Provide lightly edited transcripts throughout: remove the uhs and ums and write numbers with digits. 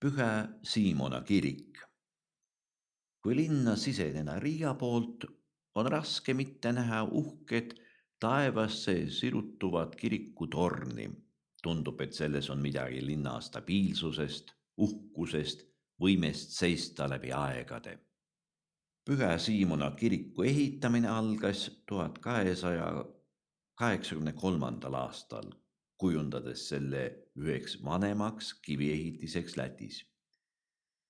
Pühä Siimona kirik. Kui linna siseneda Riia poolt, on raske mitte näha uhket taevasse sirutuvat kirikutorni. Tundub, et selles on midagi linna stabiilsusest, uhkusest, võimest seista läbi aegade. Pühä Siimona kiriku ehitamine algas 1283. aastal, kujundades selle üheks vanemaks kiviehitiseks Lätis.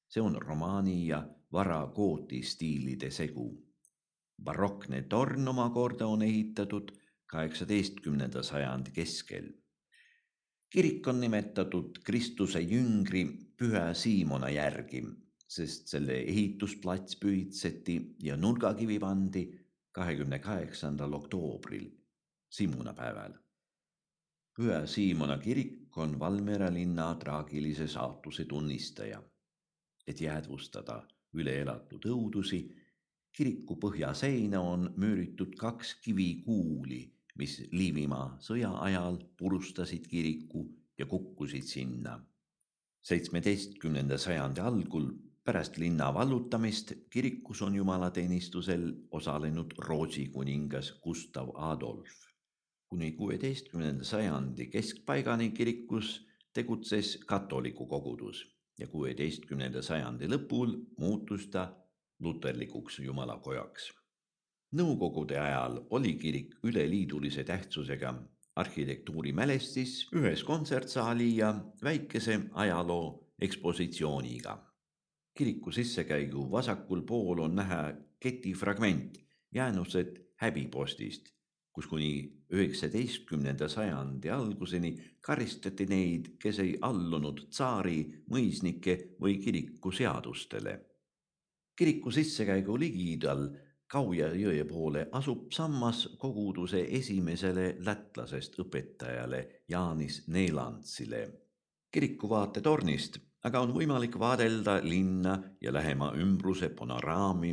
See on romaani ja varakooti stiilide segu. Barokne torn omakorda on ehitatud 18. sajandi keskel. Kirik on nimetatud Kristuse jüngri Pühä Siimona järgi, sest selle ehitusplats pühitseti ja nurgakivi pandi 28. oktoobril, Simunapäeval. Pühä Siimona kirik on Valmiera linna traagilise saatuse tunnistaja. Et jäädvustada üle elatud õudusi, kiriku põhjaseina on müüritud 2 kivikuuli, mis Liivimaa sõja ajal purustasid kiriku ja kukkusid sinna. 17. sajandi algul pärast linna vallutamist kirikus on jumalateenistusel osalenud Rootsi kuningas Gustav Adolf. Kuni 16. sajandi keskpaigani kirikus tegutses katoliku kogudus ja 16. sajandi lõpul muutus ta luterlikuks jumalakojaks. Nõukogude ajal oli kirik üleliidulise tähtsusega arhitektuurimälestis ühes kontsertsaali ja väikese ajaloo ekspositsiooniga. Kiriku sissekäigu vasakul pool on näha ketifragment, jäänused häbipostist, kus kuni 19. sajandi alguseni karistati neid, kes ei allunud tsaari, mõisnike või kiriku seadustele. Kiriku sissekäigu ligidal Kauja jõe poole asub sammas koguduse esimesele lätlasest õpetajale Jaanis Neelantsile. Kiriku vaatetornist aga on võimalik vaadelda linna ja lähema ümbruse panoraami.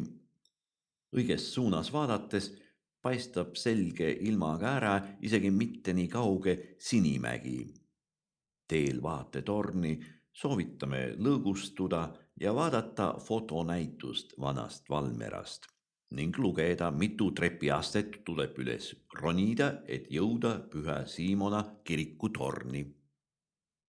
Õiges suunas vaadates paistab selge ilmaga ära isegi mitte nii kauge Sinimägi. Teel vaatetorni soovitame lõõgustuda ja vaadata fotonäitust vanast Valmierast ning lugeda, mitu trepiastet tuleb üles ronida, et jõuda Pühä Siimona kiriku torni.